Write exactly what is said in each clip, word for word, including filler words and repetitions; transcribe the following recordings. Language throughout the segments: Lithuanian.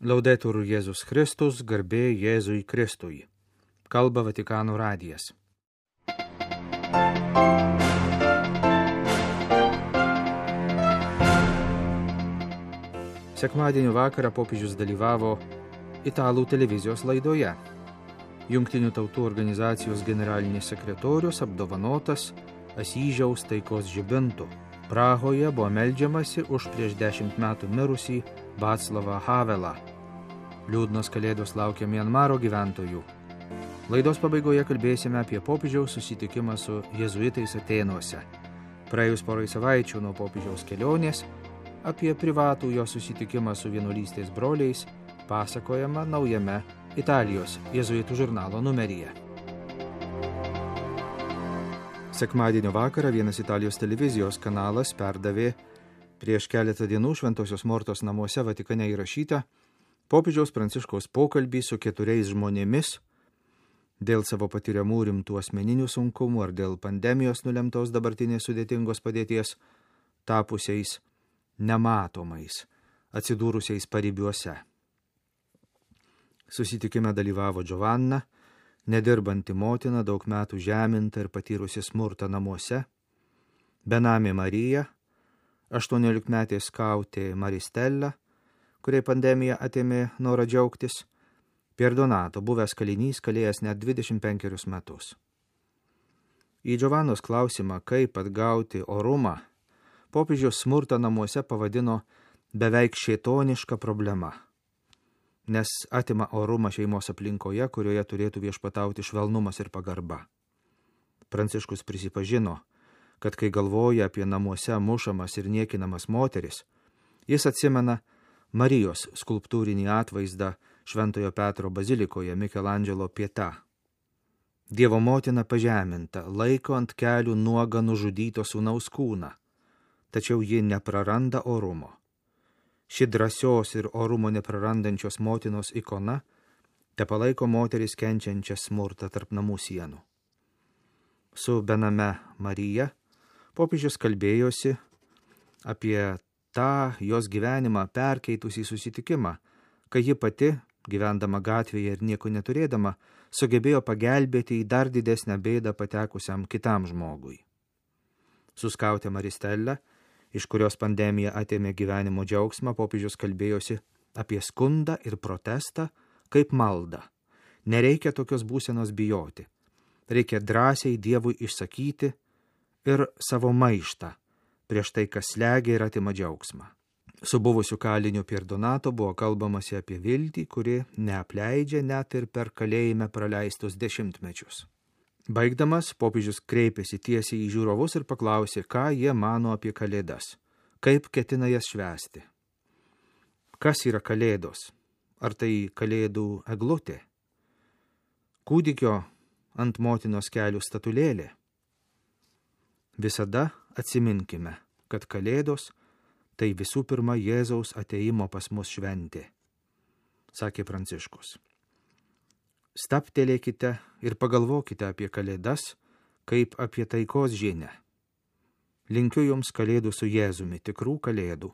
Laudetur Jėzus Kristus, garbė Jėzui Kristui. Kalba Vatikano radijas. Sekmadienio vakarą popiežius dalyvavo italų televizijos laidoje. Jungtinių tautų organizacijos generalinis sekretorius apdovanotas Asyžiaus taikos žibintu. Prahoje buvo meldžiamasi už prieš dešimt metų mirusį Vaclavą Havelą. Liūdnos kalėdos laukia Mianmaro gyventojų. Laidos pabaigoje kalbėsime apie popiežiaus susitikimą su jėzuitais Atėnuose. Praėjus porai savaičių nuo popiežiaus kelionės, apie privatų jo susitikimą su vienuolystės broliais pasakojama naujame Italijos jėzuitų žurnalo numeryje. Sekmadienio vakarą vienas Italijos televizijos kanalas perdavė prieš keletą dienų Šventosios Mortos namuose Vatikane įrašytą popiežiaus Pranciškaus pokalbį su keturiais žmonėmis dėl savo patiriamų rimtų asmeninių sunkumų ar dėl pandemijos nulemtos dabartinės sudėtingos padėties tapusiais nematomais, atsidūrusiais paribiuose. Susitikime dalyvavo Giovanna, nedirbanti motina, daug metų žeminta ir patyrusi smurtą namuose, benamė Marija, aštuoniolikmetė skautė Maristella, kuriai pandemija atėmė norą džiaugtis, Pierdonato, buvęs kalinys, kalėjęs net dvidešimt penkerius metus. Į Giovannos klausimą, kaip atgauti orumą, popiežius smurtą namuose pavadino beveik šėtoniška problema, nes atima orumą šeimos aplinkoje, kurioje turėtų viešpatauti švelnumas ir pagarba. Pranciškus prisipažino, kad kai galvoja apie namuose mušamas ir niekinamas moteris, jis atsimena Marijos skulptūrinį atvaizdą Šventojo Petro bazilikoje Mikelandželo Pieta. Dievo motina pažeminta, laiko ant kelių nuogą nužudyto sūnaus kūną, tačiau ji nepraranda orumo. Ši drąsios ir orumo neprarandančios motinos ikona tepalaiko moteris kenčiančią smurtą tarp namų sienų. Su bename Marija popiežius kalbėjosi apie tą jos gyvenimą perkeitusį susitikimą, kai ji pati, gyvendama gatvėje ir nieko neturėdama, sugebėjo pagelbėti į dar didesnę bėdą patekusiam kitam žmogui. Su skaute Maristella, iš kurios pandemija atėmė gyvenimo džiaugsmą, popiežius kalbėjosi apie skundą ir protestą kaip maldą. Nereikia tokios būsenos bijoti. Reikia drąsiai Dievui išsakyti ir savo maištą prieš tai, kas slegia ir atima džiaugsmą. Su buvusiu kaliniu Pierdonato buvo kalbamasi apie viltį, kuri neapleidžia net ir per kalėjime praleistus dešimtmečius. Baigdamas, popiežius kreipėsi tiesiai į žiūrovus ir paklausė, ką jie mano apie kalėdas, kaip ketina jas švęsti. Kas yra kalėdos? Ar tai kalėdų eglutė? Kūdikio ant motinos kelių statulėlė? Visada atsiminkime, kad kalėdos tai visų pirma Jėzaus ateimo pas mus šventė, sakė Pranciškus. Staptelėkite ir pagalvokite apie kalėdas, kaip apie taikos žinią. Linkiu jums kalėdų su Jėzumi, tikrų kalėdų.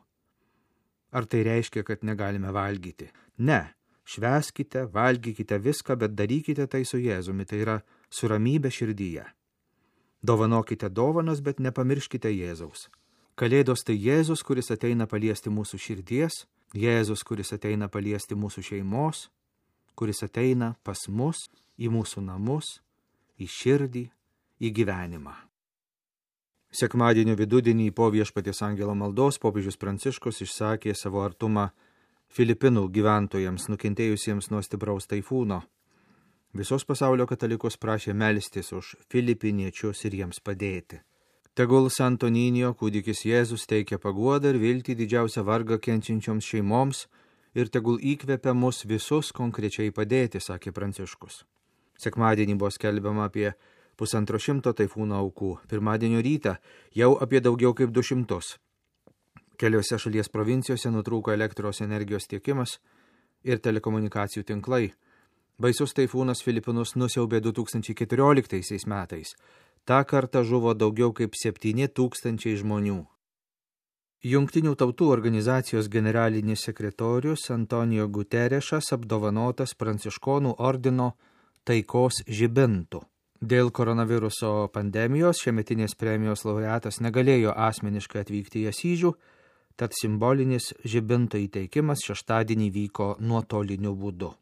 Ar tai reiškia, kad negalime valgyti? Ne, švęskite, valgykite viską, bet darykite tai su Jėzumi, tai yra su ramybė širdyje. Dovanokite dovanas, bet nepamirškite Jėzaus. Kalėdos tai Jėzus, kuris ateina paliesti mūsų širdies, Jėzus, kuris ateina paliesti mūsų šeimos, kuris ateina pas mus, į mūsų namus, į širdį, į gyvenimą. Sekmadienio vidudienį po Viešpaties angelo maldos popiežius Pranciškus išsakė savo artumą Filipinų gyventojams nukentėjusiems nuo stipraus taifūno. Visos pasaulio katalikus prašė melstis už filipiniečius ir jiems padėti. Tegul Santo Ninio kūdikis Jėzus teikia paguodą ir viltį didžiausią vargą kenčiančioms šeimoms ir tegul įkvepia mus visus konkrečiai padėti, sakė Pranciškus. Sekmadienį buvo skelbiama apie pusantro šimto taifūno aukų, pirmadienio rytą jau apie daugiau kaip du šimtus. Keliose šalies provincijose nutrūko elektros energijos tiekimas ir telekomunikacijų tinklai. Baisus taifūnas Filipinus nusiaubė du tūkstančiai keturioliktaisiais metais. Ta kartą žuvo daugiau kaip septyni tūkstančiai žmonių. Jungtinių tautų organizacijos generalinis sekretorius Antonijo Guterešas apdovanotas Pranciškonų ordino taikos žibintu. Dėl koronaviruso pandemijos šiemetinės premijos laureatas negalėjo asmeniškai atvykti į Asyžių, tad simbolinis žibinto įteikimas šeštadienį vyko nuotoliniu būdu.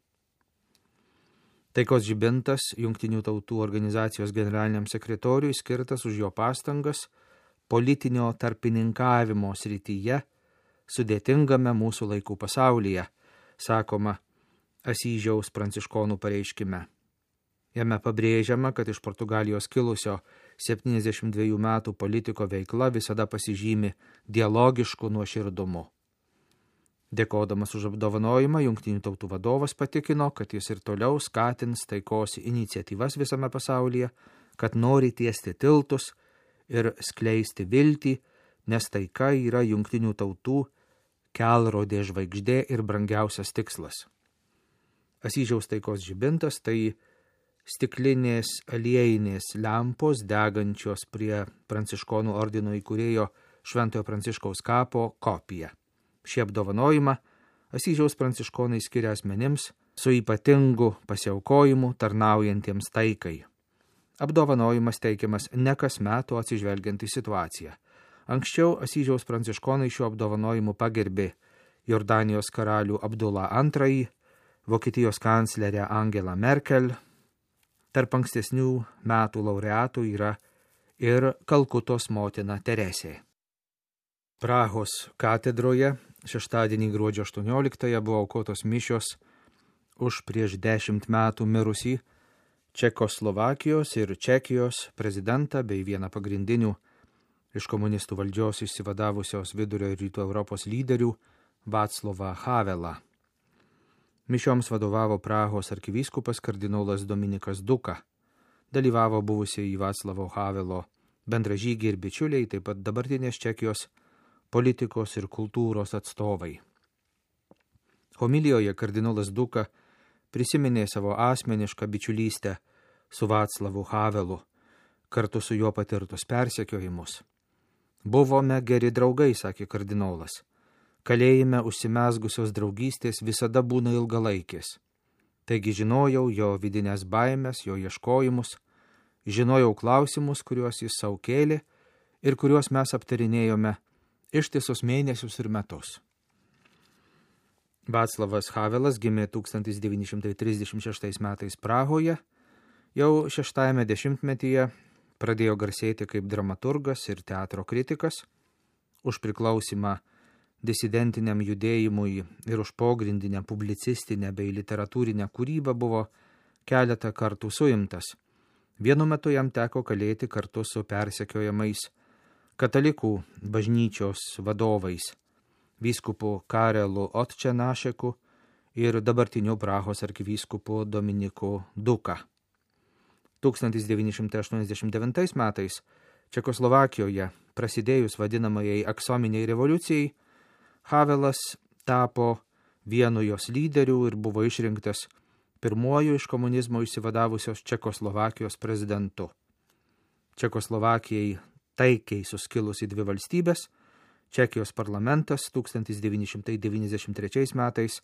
Taikos žibintas Jungtinių tautų organizacijos generaliniam sekretoriui skirtas už jo pastangas politinio tarpininkavimo srityje sudėtingame mūsų laikų pasaulyje, sakoma Asyžiaus pranciškonų pareiškime. Jame pabrėžiama, kad iš Portugalijos kilusio septyniasdešimt dviejų metų politiko veikla visada pasižymi dialogišku nuoširdumu. Dėkodamas už apdovanojimą, Jungtinių tautų vadovas patikino, kad jis ir toliau skatins taikos iniciatyvas visame pasaulyje, kad nori tiesti tiltus ir skleisti viltį, nes taika yra Jungtinių tautų kelrodė žvaigždė ir brangiausias tikslas. Asyžiaus taikos žibintas tai stiklinės aliejinės lempos degančios prie Pranciškonų ordino įkūrėjo Šventojo Pranciškaus kapo kopija. Šį apdovanojimą Asyžiaus pranciškonai skiria asmenims su ypatingu pasiaukojimu tarnaujantiems taikai. Apdovanojimas teikiamas ne kas metų atsižvelgiant į situaciją. Anksčiau Asyžiaus pranciškonai šiuo apdovanojimu pagerbė Jordanijos karalių Abdulą antrąjį, Vokietijos kanclerę Angelą Merkel. Tarp ankstesnių metų laureatų yra ir Kalkutos motina Teresė. Prahos katedroje šeštadienį gruodžio aštuonioliktąją buvo aukotos mišios už prieš dešimt metų mirusį Čekoslovakijos ir Čekijos prezidentą bei vieną pagrindinių iš komunistų valdžios išsivadavusios vidurio ir rytų Europos lyderių Václavą Havelą. Mišioms vadovavo Prahos arkivyskupas kardinolas Dominikas Duka. Dalyvavo buvusiai Václavo Havelo bendražygiai ir bičiuliai, taip pat dabartinės Čekijos politikos ir kultūros atstovai. Homilijoje kardinolas Duka prisiminė savo asmenišką bičiulystę su Václavu Havelu, kartu su juo patirtus persekiojimus. Buvome geri draugai, sakė kardinolas. Kalėjime užsimezgusios draugystės visada būna ilgalaikės. Taigi žinojau jo vidinės baimės, jo ieškojimus, žinojau klausimus, kuriuos jis sau kėlė ir kuriuos mes aptarinėjome ištisus mėnesius ir metus. Václavas Havelas gimė tūkstantis devyni šimtai trisdešimt šeštais metais Prahoje, jau šeštajame dešimtmetyje pradėjo garsėti kaip dramaturgas ir teatro kritikas, už priklausimą disidentiniam judėjimui ir už pogrindinę publicistinę bei literatūrinę kūrybą buvo keletą kartų suimtas. Vienu metu jam teko kalėti kartu su persekiojamais katalikų bažnyčios vadovais, vyskupu Karelu Otčenašeku ir dabartiniu Prahos arkivyskupu Dominiku Duka. tūkstantis devyni šimtai aštuoniasdešimt devintais metais Čekoslovakijoje prasidėjus vadinamajai aksominiai revoliucijai, Havelas tapo vienu jos lyderių ir buvo išrinktas pirmuoju iš komunizmo išsivadavusios Čekoslovakijos prezidentu. Čekoslovakijai taikiai suskilus į dvi valstybės, Čekijos parlamentas tūkstantis devyni šimtai devyniasdešimt trečiais metais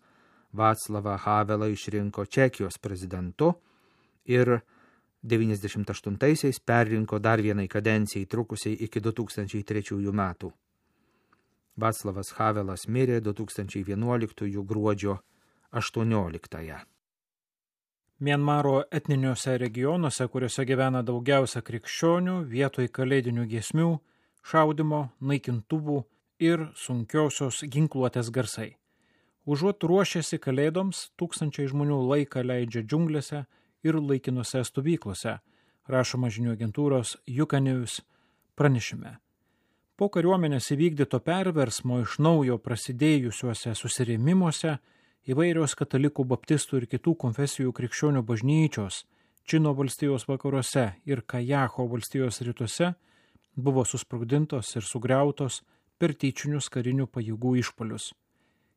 Václavą Havelą išrinko Čekijos prezidentu ir devyniasdešimt aštuntaisiais perrinko dar vienai kadencijai trukusiai iki du tūkstančiai trečiųjų metų. Václavas Havelas mirė du tūkstančiai vienuoliktųjų gruodžio aštuonioliktąją. Mianmaro etniniuose regionuose, kuriuose gyvena daugiausia krikščionių, vietoj kalėdinių giesmių, šaudimo, naikintuvų ir sunkiosios ginkluotės garsai. Užuot ruošėsi kalėdoms, tūkstančiai žmonių laiką leidžia džiunglėse ir laikinose stovyklose, rašoma žinių agentūros Jukanews pranešime. Po kariuomenės įvykdyto perversmo iš naujo prasidėjusiuose susirėmimuose įvairios katalikų, baptistų ir kitų konfesijų krikščionių bažnyčios Čino valstijos vakaruose ir Kajaho valstijos rytuose buvo susprogdintos ir sugriautos per tyčinius karinių pajėgų išpuolius.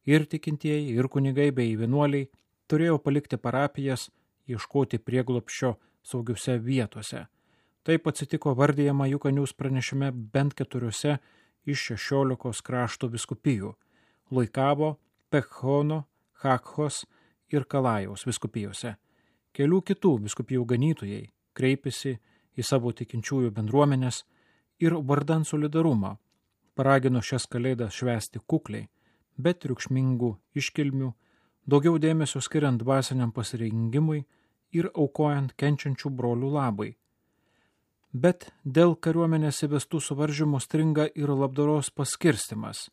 Ir tikintieji, ir kunigai bei vienuoliai turėjo palikti parapijas, ieškoti prieglobsčio saugiuose vietose. Taip atsitiko vardijama Jukanews pranešime bent keturiose iš šešiolikos krašto viskupijų – Loikavo, Pekhono, Hakhos ir Kalajaus viskupijose. Kelių kitų viskupijų ganytojai kreipėsi į savo tikinčiųjų bendruomenės ir vardan solidarumo paragino šias kalėdas švęsti kukliai, bet triukšmingų iškilmių, daugiau dėmesio skiriant dvasiniam pasirengimui ir aukojant kenčiančių brolių labai. Bet dėl kariuomenės įvestų suvaržymų stringa ir labdaros paskirstimas.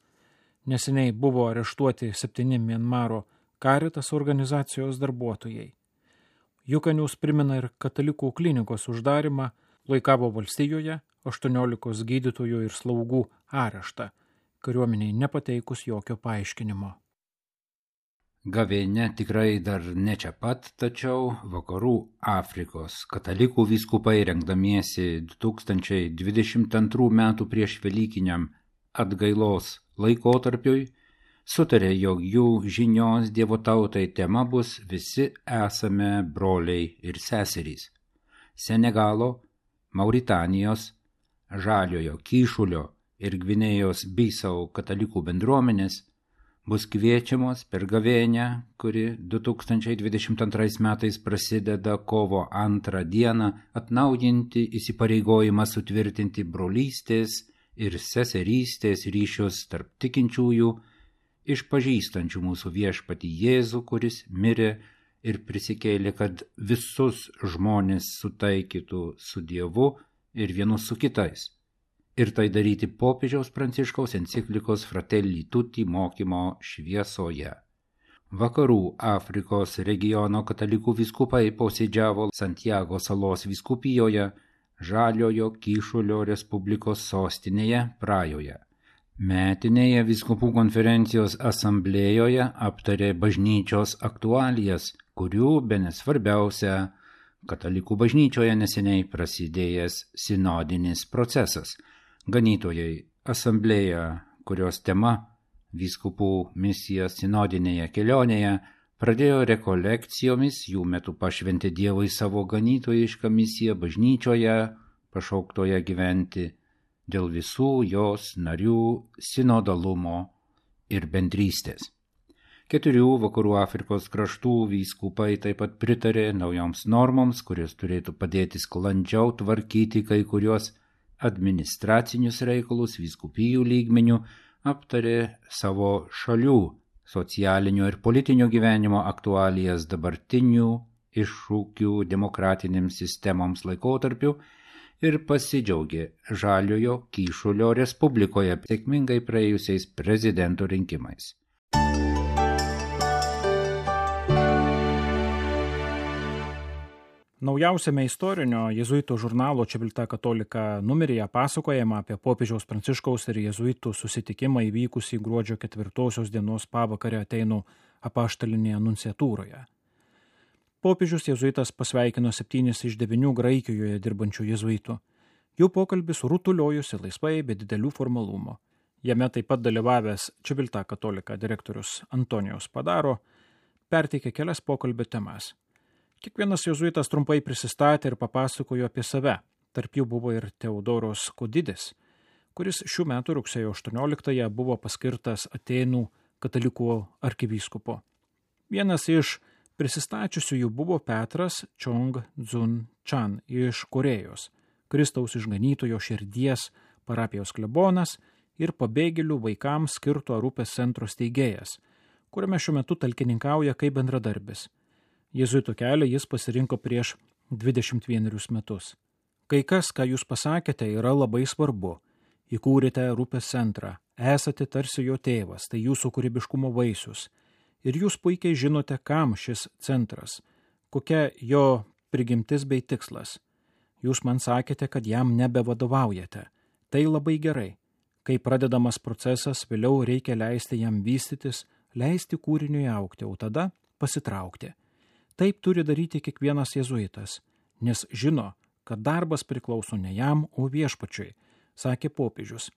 Neseniai buvo areštuoti septyni Mianmaro Caritas organizacijos darbuotojai. Jukanius primena ir katalikų klinikos uždarimą Loikavo valstijoje, aštuoniolikos gydytojų ir slaugų areštą, kariuomeniai nepateikus jokio paaiškinimo. Gavėnia tikrai dar ne čia pat, tačiau Vakarų Afrikos katalikų vyskupai rengdamiesi du tūkstančiai dvidešimt antrų metų prieš Velykiniam atgailos laikotarpiui sutarė, jog jų žinios Dievo tautai tema bus visi esame broliai ir seserys. Senegalo, Mauritanijos, Žaliojo Kyšulio ir Gvinėjos Bisau katalikų bendruomenės bus kviečiamos per gavėnią, kuri du tūkstančiai dvidešimt antrais metais prasideda kovo antrą dieną, atnaujinti įsipareigojimą sutvirtinti brolystės ir seserystės ryšius tarp tikinčiųjų, išpažįstančių mūsų viešpatį Jėzų, kuris mirė ir prisikėlė, kad visus žmonės sutaikytų su Dievu ir vienus su kitais. Ir tai daryti popiežiaus Pranciškaus enciklikos Fratelli Tutti mokymo šviesoje. Vakarų Afrikos regiono katalikų vyskupai posėdžiavo Santiago salos vyskupijoje, Žaliojo Kyšulio Respublikos sostinėje Prajoje. Metinėje vyskupų konferencijos asamblėjoje aptarė bažnyčios aktualijas, kurių bene svarbiausia katalikų bažnyčioje neseniai prasidėjęs sinodinis procesas. Ganytojai asamblėja, kurios tema vyskupų misija sinodinėje kelionėje, pradėjo rekolekcijomis, jų metu pašventė Dievui savo ganytojišką misiją bažnyčioje, pašauktoje gyventi dėl visų jos narių sinodalumo ir bendrystės. Keturių Vakarų Afrikos kraštų vyskupai taip pat pritarė naujoms normoms, kurios turėtų padėti sklandžiau tvarkyti kai kurios administracinius reikalus vyskupijų lygmenių, aptarė savo šalių socialinio ir politinio gyvenimo aktualijas dabartinių iššūkių demokratinėms sistemoms laikotarpiu ir pasidžiaugė Žaliojo Kyšulio Respublikoje sėkmingai praėjusiais prezidento rinkimais. Naujausiame istorinio jėzuitų žurnalo Civiltà Cattolica numeryje pasakojama apie popiežiaus Pranciškaus ir jėzuitų susitikimą įvykusį gruodžio ketvirtosios dienos pavakarę Atėnų apaštalinėje nunciatūroje. Popiežius jėzuitas pasveikino septynis iš devynių Graikijoje dirbančių jėzuitų. Jų pokalbis rutuliojusi laisvai be didelių formalumų. Jame taip pat dalyvavęs Civiltà Cattolica direktorius Antonijos Padaro perteikė kelias pokalbio temas. Kiekvienas jėzuitas trumpai prisistatė ir papasakojo apie save. Tarp jų buvo ir Teodoros Kodidis, kuris šių metų rugsėjo aštuonioliktąją buvo paskirtas Atėnų katalikų arkivyskupu. Vienas iš prisistačiusiųjų buvo Petras Chong Dzun Chan iš Korėjos, Kristaus išganytojo širdies parapijos klebonas ir pabėgėlių vaikams skirto Arupės centro steigėjas, kuriame šiuo metu talkininkauja kaip bendradarbis. Jėzuito kelią jis pasirinko prieš dvidešimt vienerius metus. Kai kas, ką jūs pasakėte, yra labai svarbu. Įkūrėte Arupės centrą, esate tarsi jo tėvas, tai jūsų kūrybiškumo vaisius. Ir jūs puikiai žinote, kam šis centras, kokia jo prigimtis bei tikslas. Jūs man sakėte, kad jam nebevadovaujate. Tai labai gerai. Kai pradedamas procesas, vėliau reikia leisti jam vystytis, leisti kūriniui augti, o tada pasitraukti. Taip turi daryti kiekvienas jėzuitas, nes žino, kad darbas priklauso ne jam, o viešpačiui, sakė popiežius.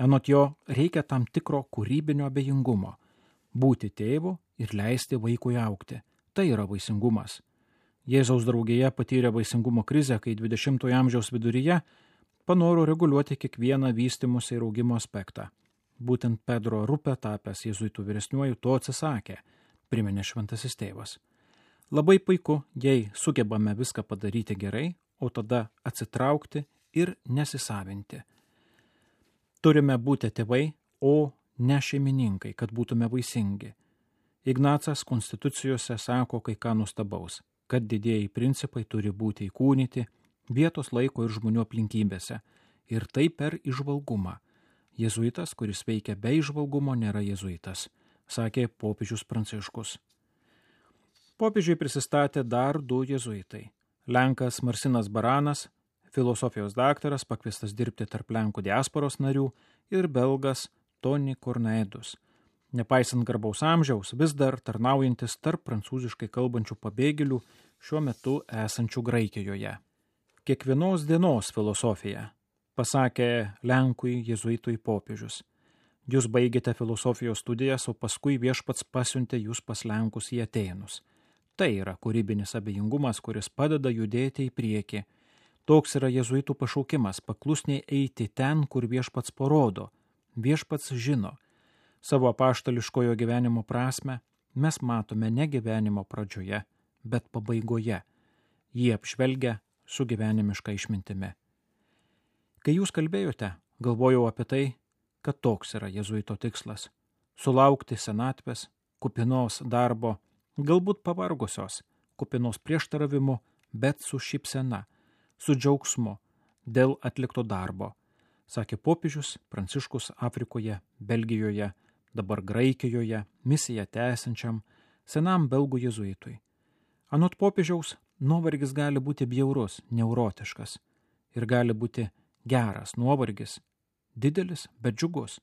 Anot jo, reikia tam tikro kūrybinio abejingumo, būti tėvu ir leisti vaikui augti. Tai yra vaisingumas. Jėzaus draugija patyrė vaisingumo krizę, kai dvidešimtojo amžiaus viduryje panoro reguliuoti kiekvieną vystymosi ir augimo aspektą. Būtent Pedro Rupe, tapęs jėzuitų vyresniuoju, to atsisakė, priminė šventasis tėvas. Labai puiku, jei sugebame viską padaryti gerai, o tada atsitraukti ir nesisavinti. Turime būti tėvai, o ne šeimininkai, kad būtume vaisingi. Ignacas konstitucijose sako kai ką nuostabaus, kad didieji principai turi būti įkūnyti vietos laiko ir žmonių aplinkybėse, ir tai per įžvalgumą. Jėzuitas, kuris veikia be įžvalgumo, nėra jėzuitas, sakė popiežius Pranciškus. Popiežiui prisistatė dar du jėzuitai. Lenkas Marcinas Baranas, filosofijos daktaras, pakviestas dirbti tarp Lenkų diasporos narių, ir belgas Toni Kornaedus, nepaisant garbaus amžiaus, vis dar tarnaujantis tarp prancūziškai kalbančių pabėgėlių šiuo metu esančių Graikijoje. Kiekvienos dienos filosofija, pasakė Lenkui jėzuitui popiežius. Jūs baigėte filosofijos studijas, o paskui viešpats pasiuntė jūs pas Lenkus į Atėnus. Tai yra kūrybinis abejingumas, kuris padeda judėti į priekį. Toks yra jėzuitų pašaukimas – paklusniai eiti ten, kur viešpats parodo. Viešpats žino. Savo apaštališkojo gyvenimo prasme mes matome ne gyvenimo pradžioje, bet pabaigoje. Jį apžvelgia su gyvenimiška išmintimi. Kai jūs kalbėjote, galvojau apie tai, kad toks yra jėzuito tikslas – sulaukti senatvės, kupinos darbo, galbūt pavargusios, kupinos prieštaravimų, bet su šypsena, su džiaugsmu dėl atlikto darbo, sakė popiežius Pranciškus Afrikoje, Belgijoje, dabar Graikijoje, misiją tęsiančiam senam belgų jėzuitui. Anot popiežiaus, nuovargis gali būti bjaurus, neurotiškas ir gali būti geras nuovargis, didelis, bet džiugus.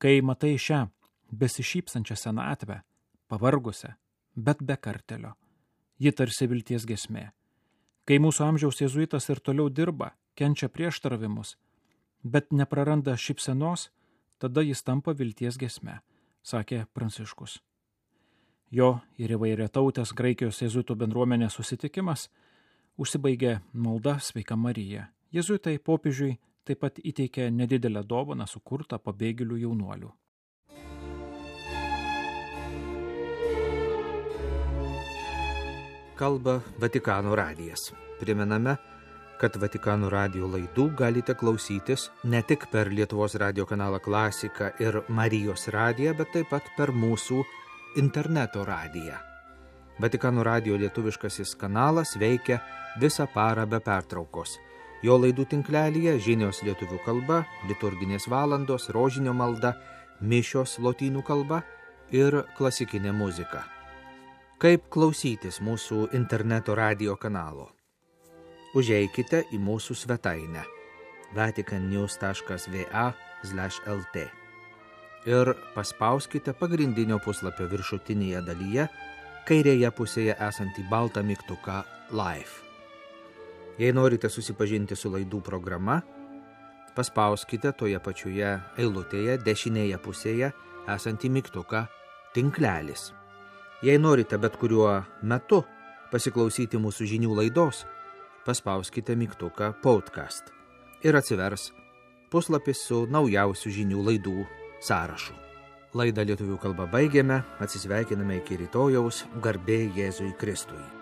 Kai matai šią besišypsančią senatvę, pavargusią, bet be kartelio, ji tarsi vilties giesmė. Kai mūsų amžiaus jėzuitas ir toliau dirba, kenčia prieštaravimus, bet nepraranda šypsenos, tada jis tampa vilties giesme, sakė Pranciškus. Jo ir įvairiatautės Graikijos jėzuitų bendruomenės susitikimas užsibaigė malda Sveika Marija. Jėzuitai popiežiui taip pat įteikė nedidelę dovaną sukurtą pabėgėlių jaunuolių. Kalba Vatikano radijas. Primename, kad Vatikano radijo laidų galite klausytis ne tik per Lietuvos radijo kanalą Klasika ir Marijos radiją, bet taip pat per mūsų interneto radiją. Vatikano radijo lietuviškasis kanalas veikia visą parą be pertraukos. Jo laidų tinklelyje žinios lietuvių kalba, liturginės valandos, rožinio malda, mišios lotynų kalba ir klasikinė muzika. Kaip klausytis mūsų interneto radijo kanalo? Užeikite į mūsų svetainę vaticannews taškas va slash lt ir paspauskite pagrindinio puslapio viršutinėje dalyje kairėje pusėje esantį baltą mygtuką Live. Jei norite susipažinti su laidų programa, paspauskite toje pačioje eilutėje dešinėje pusėje esantį mygtuką Tinklelis. Jei norite bet kuriuo metu pasiklausyti mūsų žinių laidos, paspauskite mygtuką Podcast ir atsivers puslapis su naujausių žinių laidų sąrašu. Laidą lietuvių kalba baigėme, atsisveikiname iki rytojaus, garbė Jėzui Kristui.